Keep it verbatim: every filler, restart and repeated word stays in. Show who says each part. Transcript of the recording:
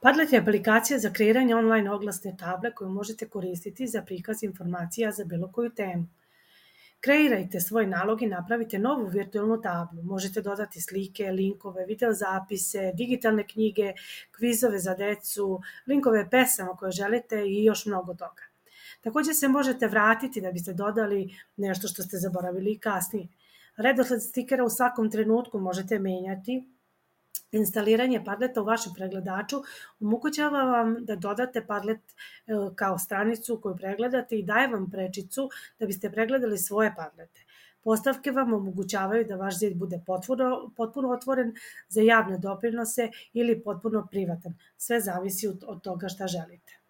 Speaker 1: Padlet je aplikacija za kreiranje online oglasne table koju možete koristiti za prikaz informacija za bilo koju temu. Kreirajte svoj nalog i napravite novu virtualnu tablu. Možete dodati slike, linkove, video zapise, digitalne knjige, kvizove za decu, linkove pesama koje želite i još mnogo toga. Takođe se možete vratiti da biste dodali nešto što ste zaboravili kasnije. Redosled stikera u svakom trenutku možete menjati. Instaliranje Padleta u vašem pregledaču omogućava vam da dodate Padlet kao stranicu koju pregledate i daje vam prečicu da biste pregledali svoje Padlete. Postavke vam omogućavaju da vaš zid bude potpuno, potpuno otvoren za javne doprinose ili potpuno privatan. Sve zavisi od toga šta želite.